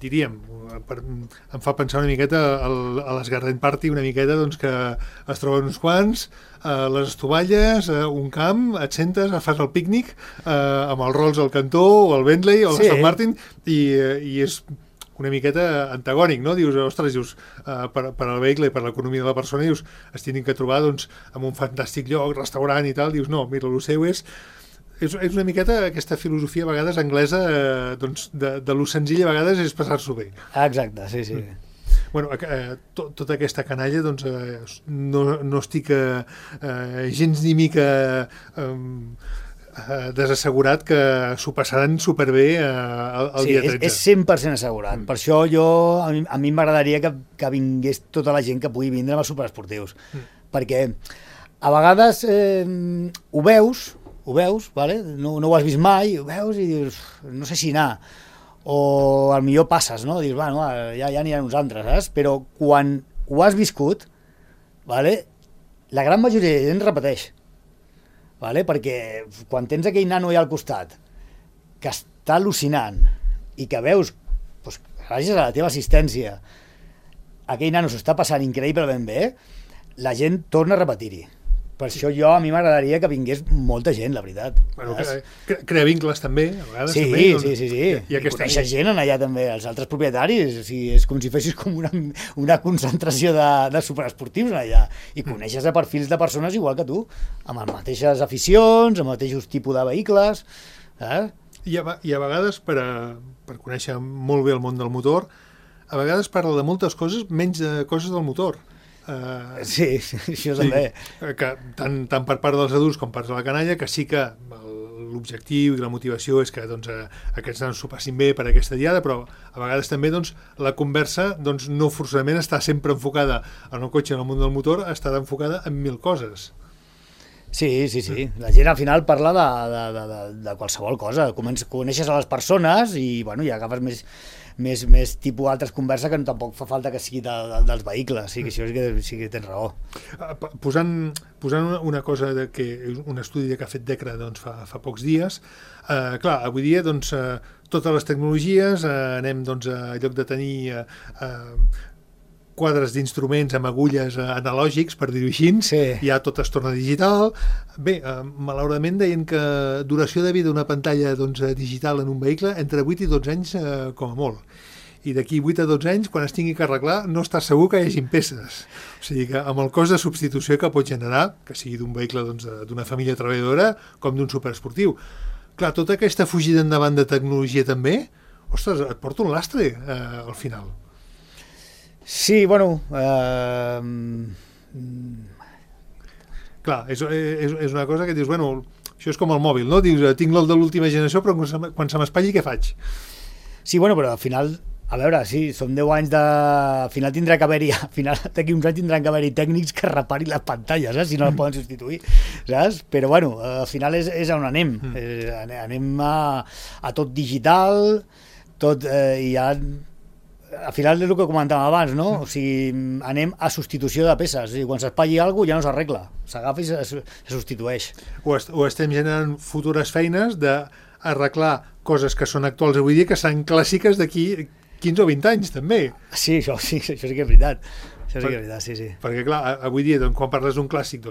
Speaker 2: diríem, em fa pensar una miqueta a les Garden Party, una miqueta doncs, que es troben uns quants, les estovalles, un camp, et sentes, fas el pícnic amb el Rolls al cantó o el Bentley o l'Aston Martin i és una miqueta antagònic, no? Dius, ostres, per al vehicle i per l'economia de la persona, dius, es tenen que trobar doncs, en un fantàstic lloc, restaurant i tal, dius, no, mira, el seu és una miqueta aquesta filosofia a vegades anglesa doncs, de lo senzill a vegades és passar-s'ho bé.
Speaker 3: Exacte, sí.
Speaker 2: Bueno, tota aquesta canalla doncs, no estic gens ni mica desassegurat que s'ho passaran superbé el dia 13.
Speaker 3: És 100% assegurat. Per això a mi m'agradaria que vingués tota la gent que pugui vindre amb els superesportius. Perquè a vegades ho veus, vale? No ho has vist mai, ho veus i dius, no sé si anar, o al millor passes, no? Dius, bueno, ja aniran uns altres, saps? Però quan ho has viscut, vale? La gran majoria de gent repeteix, vale? Perquè quan tens aquell nano allà al costat, que està al·lucinant, i que veus, doncs, gràcies a la teva assistència, aquell nano s'ho està passant increïblement bé, la gent torna a repetir-hi. Per això a mi m'agradaria que vingués molta gent, la veritat.
Speaker 2: Bueno, crea vincles també, a vegades.
Speaker 3: Sí,
Speaker 2: també,
Speaker 3: sí. I coneixes gent allà també, els altres propietaris. O sigui, és com si fessis com una concentració de superesportius allà. I coneixes perfils de persones igual que tu, amb les mateixes aficions, amb els mateixos tipus de vehicles.
Speaker 2: I a vegades, per conèixer molt bé el món del motor, a vegades parla de moltes coses, menys de coses del motor.
Speaker 3: Sí, això també.
Speaker 2: Que tant per part dels adults com per part de la canalla, que sí que l'objectiu i la motivació és que doncs, aquests nanos s'ho passin bé per aquesta diada, però a vegades també doncs, la conversa doncs, no forçosament està sempre enfocada en el cotxe, en el món del motor, està enfocada en 1000 coses.
Speaker 3: Sí. La gent al final parla de qualsevol cosa. Coneixes a les persones i agafes més tipus altres converses que tampoc fa falta que sigui dels vehicles. Sí que tens raó.
Speaker 2: Posant una cosa que és un estudi que ha fet DECRA doncs, fa pocs dies, clar, avui dia doncs, totes les tecnologies anem doncs, a lloc de tenir quadres d'instruments amb agulles analògics, per dir-ho així,
Speaker 3: Sí.
Speaker 2: ja tot es torna digital. Bé, malauradament deien que duració de vida d'una pantalla digital en un vehicle entre 8 i 12 anys com a molt. I d'aquí 8 a 12 anys, quan es tingui que arreglar, no estàs segur que hi hagin peces. O sigui que amb el cost de substitució que pot generar, que sigui d'un vehicle d'una família treballadora com d'un superesportiu. Clar, tota aquesta fugida endavant de tecnologia també, ostres, et porta un lastre al final.
Speaker 3: Sí, bueno...
Speaker 2: Clar, és una cosa que dius, bueno, això és com el mòbil, no? Dius, tinc el de l'última generació, però quan se m'espatlli, què faig?
Speaker 3: Sí, bueno, però al final, a veure, sí, són 10 anys de... Al final tindrà que haver-hi, al final d'aquí uns anys tindran que haver-hi tècnics que reparin les pantalles, saps? Si no les poden substituir, saps? Però bueno, al final és on anem. Anem a tot digital, tot, i ja... Al final és el que comentàvem abans, no? O sigui, anem a substitució de peces. I quan s'espatlli alguna cosa ja no s'arregla. S'agafa i se substitueix.
Speaker 2: O estem generant futures feines d'arreglar coses que són actuals avui dia que seran clàssiques d'aquí 15 o 20 anys, també.
Speaker 3: Sí, això sí que és veritat. Això sí que és veritat, sí, sí.
Speaker 2: Perquè, clar, avui dia, quan parles d'un clàssic,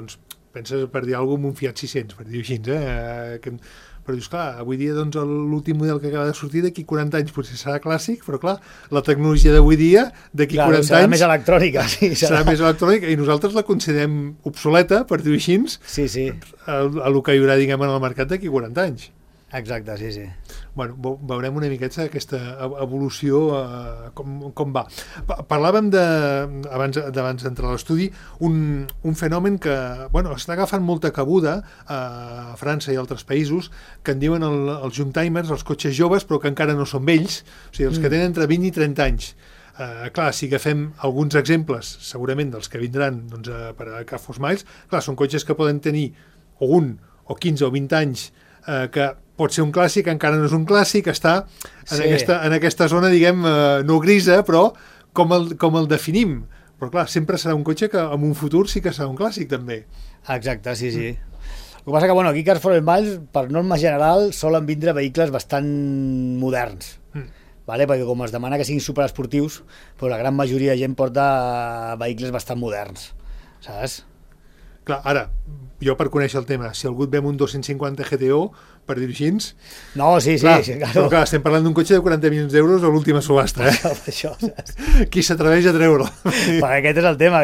Speaker 2: penses, per dir alguna cosa, en un Fiat 600, per dir-ho així, però dius, clar, avui dia l'últim model que acaba de sortir d'aquí 40 anys potser serà clàssic, però clar, la tecnologia d'avui dia d'aquí 40 anys
Speaker 3: serà més electrònica, sí,
Speaker 2: serà més electrònica i nosaltres la considerem obsoleta, per dir-ho així,
Speaker 3: sí, sí.
Speaker 2: a lo que hi haurà, diguem, en el mercat d'aquí 40 anys.
Speaker 3: Exacte, sí, sí.
Speaker 2: Bueno, veurem una miqueta aquesta evolució com va. Parlàvem abans d'entrar a l'estudi, un fenomen que està agafant molta cabuda a França i altres països, que en diuen els young timers, els cotxes joves, però que encara no són vells, o sigui, els que tenen entre 20 i 30 anys. Clar, si agafem alguns exemples, segurament dels que vindran per a Car for Smiles, clar, són cotxes que poden tenir o 1, o 15 o 20 anys, que pot ser un clàssic, encara no és un clàssic, està en aquesta zona, diguem, no grisa, però com el definim. Però clar, sempre serà un cotxe que en un futur sí que serà un clàssic, també.
Speaker 3: Exacte, sí, sí. El que passa que, aquí Cars for Smiles, per norma general, solen vindre vehicles bastant moderns. Vale? Perquè com es demana que siguin superesportius, però la gran majoria de gent porta vehicles bastant moderns, saps?
Speaker 2: Clar, ara, jo per conèixer el tema, si algú et ve amb un 250 GTO, per dir-ho així...
Speaker 3: No, sí,
Speaker 2: clar,
Speaker 3: sí.
Speaker 2: Però clar, estem parlant d'un cotxe de 40 milions d'euros a l'última subhasta,
Speaker 3: Això, saps?
Speaker 2: Qui s'atreveix a treure-lo?
Speaker 3: Perquè aquest és el tema,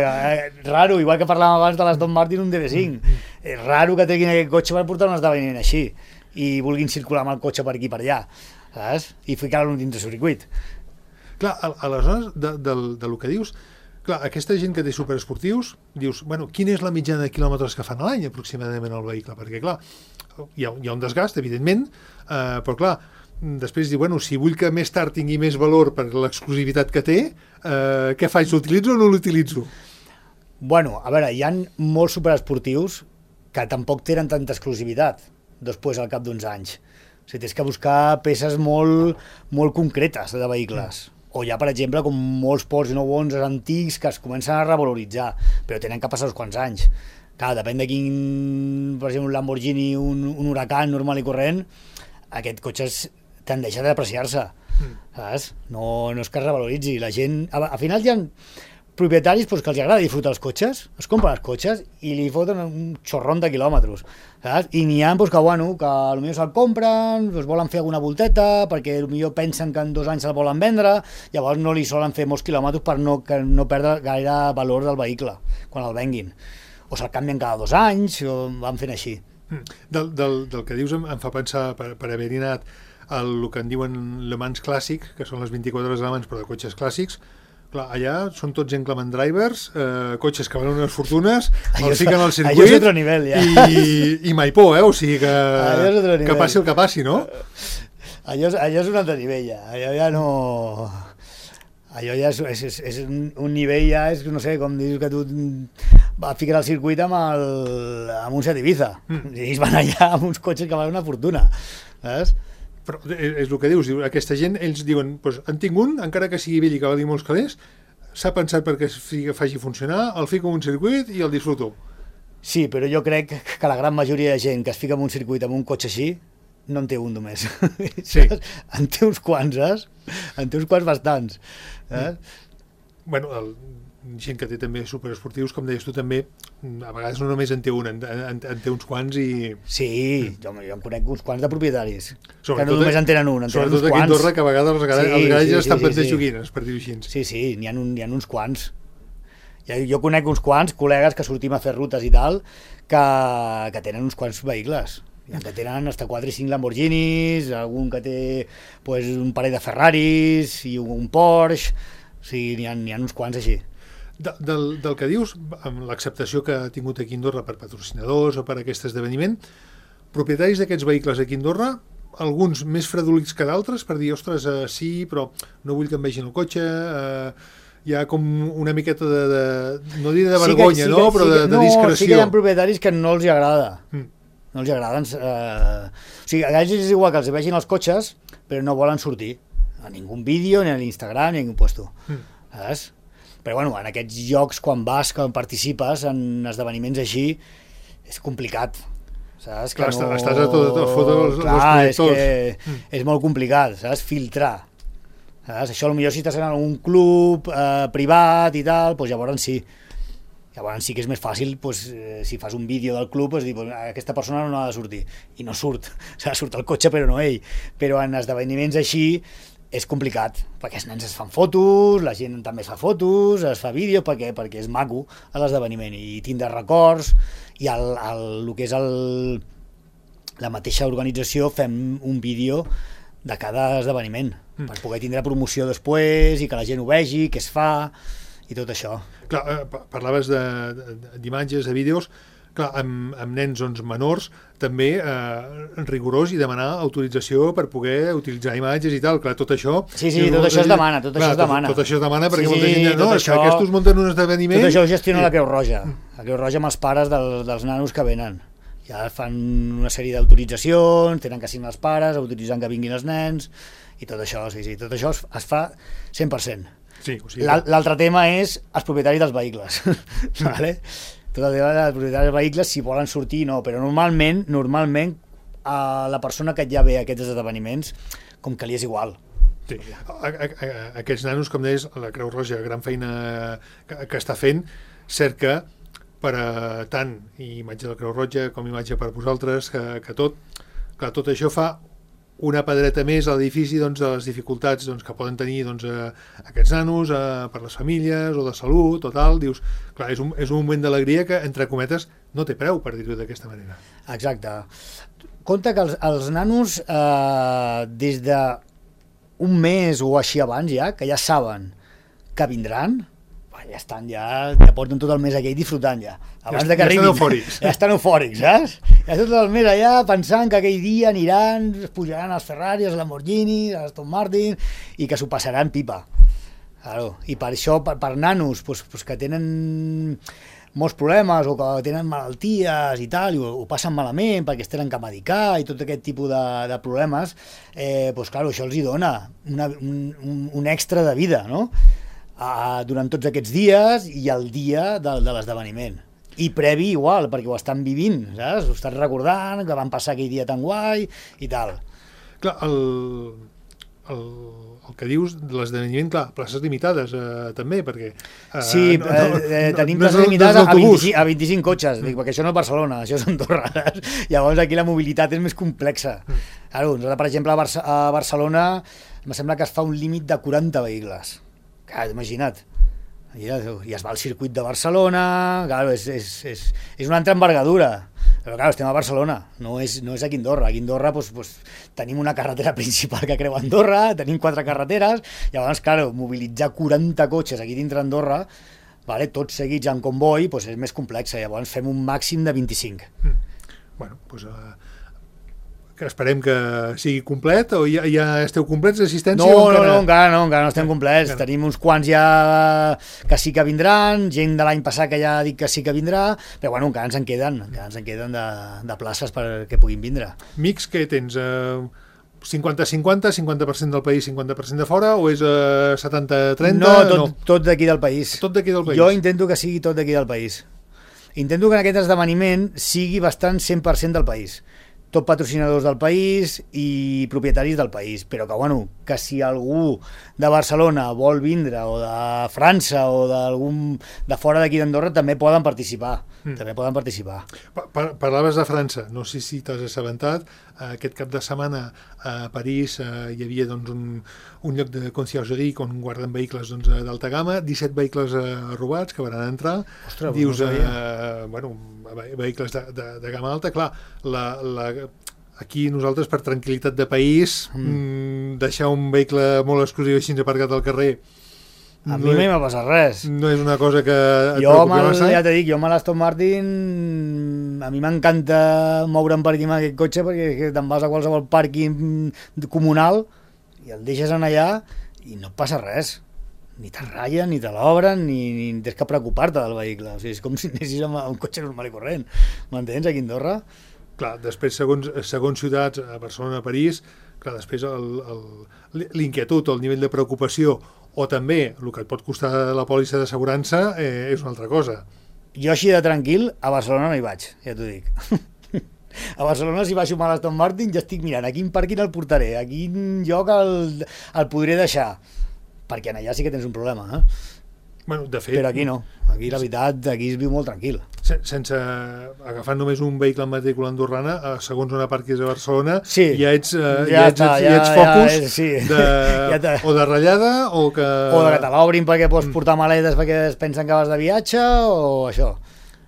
Speaker 3: raro, igual que parlàvem abans de l'Aston Martin, un DB5. És raro que treguin aquest cotxe per portar un esdeveniment així i vulguin circular amb el cotxe per aquí i per allà, saps? I ficar-lo dins de circuit.
Speaker 2: Clar, aleshores, del que dius... Clar, aquesta gent que té superesportius, dius, quina és la mitjana de quilòmetres que fan a l'any aproximadament el vehicle? Perquè, clar, hi ha un desgast, evidentment, però, clar, després diu, si vull que més tard tingui més valor per l'exclusivitat que té, què faig? L'utilitzo o no l'utilitzo?
Speaker 3: A veure, hi ha molts superesportius que tampoc tenen tanta exclusivitat després al cap d'uns anys. O sigui, tens que buscar peces molt concretes de vehicles. O hi ha, per exemple, com molts Porsche 911 antics que es comencen a revaloritzar, però tenen que passar uns quants anys. Clar, depèn de quin, per exemple, un Lamborghini, un Huracan normal i corrent, aquest cotxe tendeix a depreciar-se, saps? No és que es revaloritzi. La gent, al final hi ha propietaris que els agrada disfrutar els cotxes, es compren els cotxes i li foten un xorron de quilòmetres, saps? I n'hi ha que potser se'l compren, volen fer alguna volteta, perquè potser pensen que en 2 anys se'l volen vendre, llavors no li solen fer molts quilòmetres per no perdre gaire valor del vehicle quan el venguin. O se'l canvien cada 2 anys, o van fent així.
Speaker 2: Del que dius em fa pensar, per haver-hi anat el que en diuen Le Mans clàssic, que són les 24 hores de Le Mans però de cotxes clàssics. Clar, allà són tots inclement drivers, cotxes que valen unes fortunes, els fiquen al circuit,
Speaker 3: allò és otro nivell, ja.
Speaker 2: i mai por, o sigui que passi el que passi, no?
Speaker 3: Allò és un altre nivell, ja. Allò ja no... Allò ja és un nivell, ja és, no sé, com dius que tu fiques al circuit amb un Seat Ibiza. I ells van allà amb uns cotxes que valen una fortuna, saps?
Speaker 2: Però és el que dius, aquesta gent, ells diuen, en tinc un, encara que sigui vell i que valgui molts calés, s'ha pensat perquè es faci funcionar, el fico en un circuit i el disfruto.
Speaker 3: Sí, però jo crec que la gran majoria de gent que es fica en un circuit amb un cotxe així, no en té un només. Sí. En té uns quants, saps? En té uns quants bastants.
Speaker 2: gent que té també superesportius, com deies tu també, a vegades no només en té un, en té uns quants i...
Speaker 3: Sí, jo em conec uns quants de propietaris,
Speaker 2: Sobretot,
Speaker 3: que no només en tenen un, en tenen uns
Speaker 2: sobretot aquí a
Speaker 3: quants.
Speaker 2: Andorra, que a vegades els garages estan plens de joguines, per dir-ho així.
Speaker 3: Sí, n'hi ha uns quants. Jo conec uns quants col·legues que sortim a fer rutes i tal, que tenen uns quants vehicles. Hi ha que tenen hasta 4 i 5 Lamborghinis, algun que té pues, un parell de Ferraris i un Porsche, o sigui, n'hi ha uns quants així.
Speaker 2: Del que dius, amb l'acceptació que ha tingut aquí a Andorra per patrocinadors o per aquest esdeveniment, propietaris d'aquests vehicles aquí a Andorra, alguns més fredolics que d'altres, per dir, ostres, sí, però no vull que em vegin el cotxe, hi ha com una miqueta no diré de vergonya, però de discreció.
Speaker 3: Sí que hi ha propietaris que no els agrada. No els agraden. O sigui, a ells és igual que els vegin els cotxes, però no volen sortir a ningú vídeo, ni a l'Instagram, ni a ningú puesto. Saps? Però bueno, en aquests llocs, quan participes en esdeveniments així, és complicat. Saps?
Speaker 2: Clar, estàs a tot fotre els projectors.
Speaker 3: És molt complicat, saps? Filtrar. Saps? Això potser si estàs en un club privat i tal, doncs llavors sí. Llavors sí que és més fàcil, doncs, si fas un vídeo del club, doncs dir, doncs, aquesta persona no ha de sortir. I no surt. Surt el cotxe però no ell. Però en esdeveniments així és complicat, perquè els nens es fan fotos, la gent també es fa fotos, es fa vídeos, perquè és maco l'esdeveniment, i tindrà records, i el que és la mateixa organització fem un vídeo de cada esdeveniment, per poder tindre promoció després, i que la gent ho vegi, què es fa, i tot això.
Speaker 2: Clar, parlaves d'imatges, de vídeos, clar, amb nens menors també rigorós i demanar autorització per poder utilitzar imatges i tal, clar, tot això...
Speaker 3: Sí, tot això es demana, tot això es demana.
Speaker 2: Tot això es demana perquè molta gent no, és que aquests munten un esdeveniment...
Speaker 3: Tot això ho gestiona la Creu Roja, la Creu Roja amb els pares dels nanos que venen. Ja fan una sèrie d'autoritzacions, tenen que signar els pares, autoritzant que vinguin els nens, i tot això, sí, tot això es fa 100%.
Speaker 2: Sí, o sigui...
Speaker 3: L'altre tema és els propietaris dels vehicles, vale? Tot el tema dels propietaris dels vehicles, si volen sortir no, però normalment la persona que ja ve a aquests esdeveniments, com que li és igual.
Speaker 2: Sí. Aquests nanos, com deies, la Creu Roja, gran feina que està fent, cerca per a tant imatge de la Creu Roja com imatge per a vosaltres, que tot això fa una pedreta més a l'edifici de les dificultats que poden tenir aquests nanos per les famílies o de salut o tal. Dius, clar, és un moment d'alegria que, entre cometes, no té preu, per dir-ho d'aquesta manera.
Speaker 3: Exacte. Compte que els nanos, des d'un mes o així abans que ja saben que vindran, ja estan, ja porten tot el mes aquell disfrutant ja. Abans de que arribin.
Speaker 2: Ja estan eufòrics.
Speaker 3: Ja estan eufòrics, saps? Ja tot el mes allà pensant que aquell dia aniran, es pujaran als Ferrari, als Lamborghini, als Aston Martin, i que s'ho passaran pipa. Claro. I per això, per nanos que tenen molts problemes o que tenen malalties i tal, i ho passen malament perquè es tenen que medicar i tot aquest tipus de problemes, clar, això els hi dona un extra de vida, no? Durant tots aquests dies i el dia de l'esdeveniment. I previ igual, perquè ho estan vivint, saps? Ho estan recordant, que van passar aquell dia tan guai i tal.
Speaker 2: Clar, el que dius de l'esdeveniment, clar, places limitades també, perquè...
Speaker 3: Sí, tenim places limitades a 25 cotxes, perquè això no és Barcelona, això és Andorra, saps? Llavors aquí la mobilitat és més complexa. Claro, nosaltres, per exemple, a Barcelona em sembla que es fa un límit de 40 vehicles. Clar, imagina't. I es va al circuit de Barcelona, clar, és una altra envergadura, però clar, estem a Barcelona, no és aquí a Andorra. Aquí a Andorra tenim una carretera principal que creua Andorra, tenim 4 carreteres, llavors, clar, mobilitzar 40 cotxes aquí dintre Andorra, tots seguits en comboi, és més complex, llavors fem un màxim de 25.
Speaker 2: Bueno, doncs... que esperem que sigui complet, o ja esteu complets d'assistència?
Speaker 3: No, encara no estem complets. Tenim uns quants ja que sí que vindran, gent de l'any passat que ja dic que sí que vindrà, però bueno, encara ens en queden de places perquè puguin vindre.
Speaker 2: Mix, què tens? 50-50, 50% del país, 50% de fora, o és 70-30?
Speaker 3: No, tot d'aquí del país.
Speaker 2: Tot d'aquí del país?
Speaker 3: Jo intento que sigui tot d'aquí del país. Intento que en aquest esdeveniment sigui bastant 100% del país. Tot patrocinadors del país i propietaris del país, però que que si algú de Barcelona vol vindre, o de França, o de fora d'aquí d'Andorra, també poden participar. També poden participar.
Speaker 2: Parlaves de França, no sé si t'has assabentat, aquest cap de setmana a París hi havia doncs, un lloc de conciergerie on guarden vehicles doncs, d'alta gamma, 17 vehicles robats que van entrar.
Speaker 3: Ostres,
Speaker 2: dius, vehicles de gamma alta, clar, aquí nosaltres per tranquil·litat de país deixar un vehicle molt exclusiu així aparcat al carrer
Speaker 3: a mi mai m'ha passat res.
Speaker 2: No és una cosa que et
Speaker 3: preocupi
Speaker 2: massa.
Speaker 3: Ja t'he dit, jo amb l'Aston Martin a mi m'encanta moure'm per aquí amb aquest cotxe perquè te'n vas a qualsevol pàrquing comunal i el deixes en allà i no et passa res. Ni te ratllen, ni te l'obren, ni tens que preocupar-te del vehicle. O sigui, és com si anessis amb un cotxe normal i corrent. M'entens, aquí a Andorra?
Speaker 2: Clar, després, segons ciutats, a Barcelona, a París, clar, després l'inquietud o el nivell de preocupació o també el que et pot costar la pòlissa d'assegurança és una altra cosa.
Speaker 3: Jo així de tranquil a Barcelona no hi vaig, ja t'ho dic. A Barcelona si baixo amb l'Aston Martin ja estic mirant a quin pàrquing el portaré, a quin lloc el podré deixar, perquè allà sí que tens un problema,
Speaker 2: Bueno, de fet,
Speaker 3: però aquí no, aquí la veritat, aquí es viu molt tranquil.
Speaker 2: Sense agafar només un vehicle amb matrícula andorrana, segons una parquis a Barcelona,
Speaker 3: sí,
Speaker 2: ja ets focus o de ratllada o que...
Speaker 3: O de que te l'obrin perquè pots portar maletes perquè es pensen que vas de viatge o això.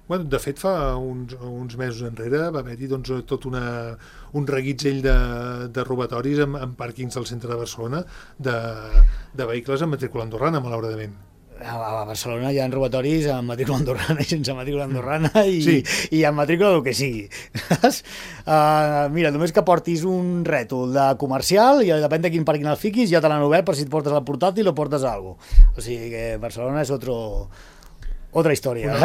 Speaker 2: Bueno, de fet, fa uns mesos enrere va haver-hi doncs, tot un reguitzell de robatoris en pàrquings del centre de Barcelona de vehicles amb matrícula andorrana, malauradament.
Speaker 3: A Barcelona hi ha robatoris amb matrícula andorrana i sense matrícula andorrana i amb matrícula del que sigui. Mira, només que portis un rètol de comercial i depèn de quin pàrquing el fiquis, ja te l'han obert per si et portes el portàtil o portes alguna cosa. O sigui que Barcelona és otra història.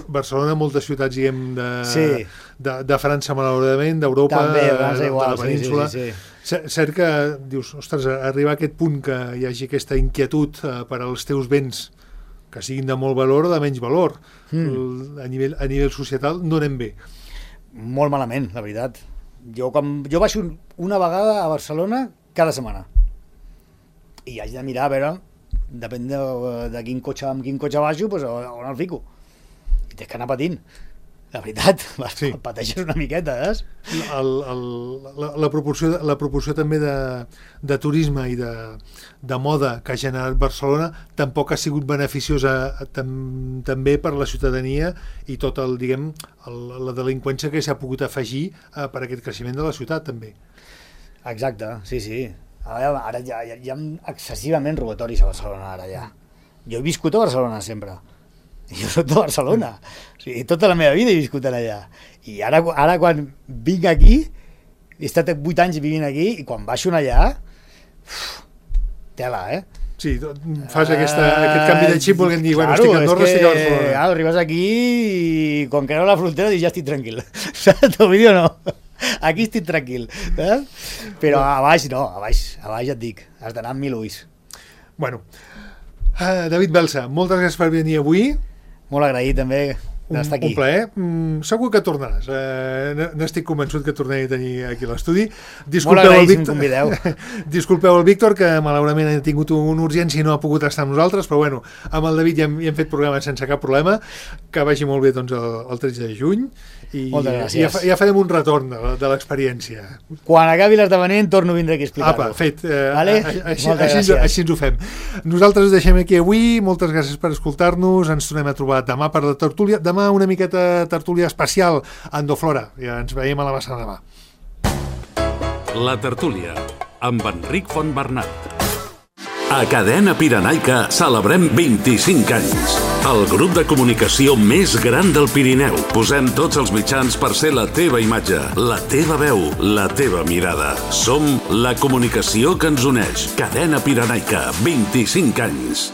Speaker 2: Barcelona, moltes ciutats, diguem, de França, malauradament, d'Europa, de la península. Sí. Cert que dius, ostres, arribar a aquest punt que hi hagi aquesta inquietud per als teus béns que siguin de molt valor o de menys valor a nivell societal, no anem bé.
Speaker 3: Molt malament, la veritat. Jo baixo una vegada a Barcelona cada setmana i haig de mirar a veure, depèn de quin cotxe baixo, doncs on el fico i tens que anar patint. La veritat, pateixes una miqueta,
Speaker 2: La proporció també de turisme i de moda que ha generat Barcelona tampoc ha sigut beneficiosa també per la ciutadania i tot la delinqüència que s'ha pogut afegir per aquest creixement de la ciutat, també.
Speaker 3: Exacte, sí. Ara ja hi ha excessivament robatoris a Barcelona, ara ja. Jo he viscut a Barcelona sempre. Jo soc de Barcelona, o sigui, tota la meva vida he viscut allà i ara quan vinc aquí, he estat 8 anys vivint aquí i quan baixo allà tela,
Speaker 2: Sí, fas aquest canvi de xip volent dir, bueno, estic a Andorra, estic a Barcelona.
Speaker 3: Arribes aquí i quan creu la frontera dius ja estic tranquil, saps? T'ho vull dir o no? Aquí estic tranquil, però a baix no, a baix ja et dic, has d'anar amb 1000 ulls.
Speaker 2: Bueno, David Belsa, moltes gràcies per venir avui.
Speaker 3: Molt agraït també d'estar aquí.
Speaker 2: Un plaer. Segur que tornaràs. N'estic convençut que tornaré a tenir aquí a l'estudi.
Speaker 3: Molt agraït si em convideu.
Speaker 2: Disculpeu el Víctor, que malauradament ha tingut una urgència i no ha pogut estar amb nosaltres, però bueno, amb el David ja hem fet programa sense cap problema. Que vagi molt bé doncs, el 13 de juny.
Speaker 3: Moltes gràcies.
Speaker 2: Ja farem un retorn de l'experiència.
Speaker 3: Quan acabi l'esdeveniment torno a vindre aquí a explicar-ho.
Speaker 2: Fet. Així ens ho fem. Nosaltres deixem aquí avui. Moltes gràcies per escoltar-nos. Ens tornem a trobar demà per la tertúlia. Demà una miqueta tertúlia especial a Andoflora. Ja ens veiem a la vessana demà.
Speaker 1: La tertúlia amb Enric Fontbernat. A Cadena Pirenaica celebrem 25 anys. El grup de comunicació més gran del Pirineu. Posem tots els mitjans per ser la teva imatge, la teva veu, la teva mirada. Som la comunicació que ens uneix. Cadena Pirenaica, 25 anys.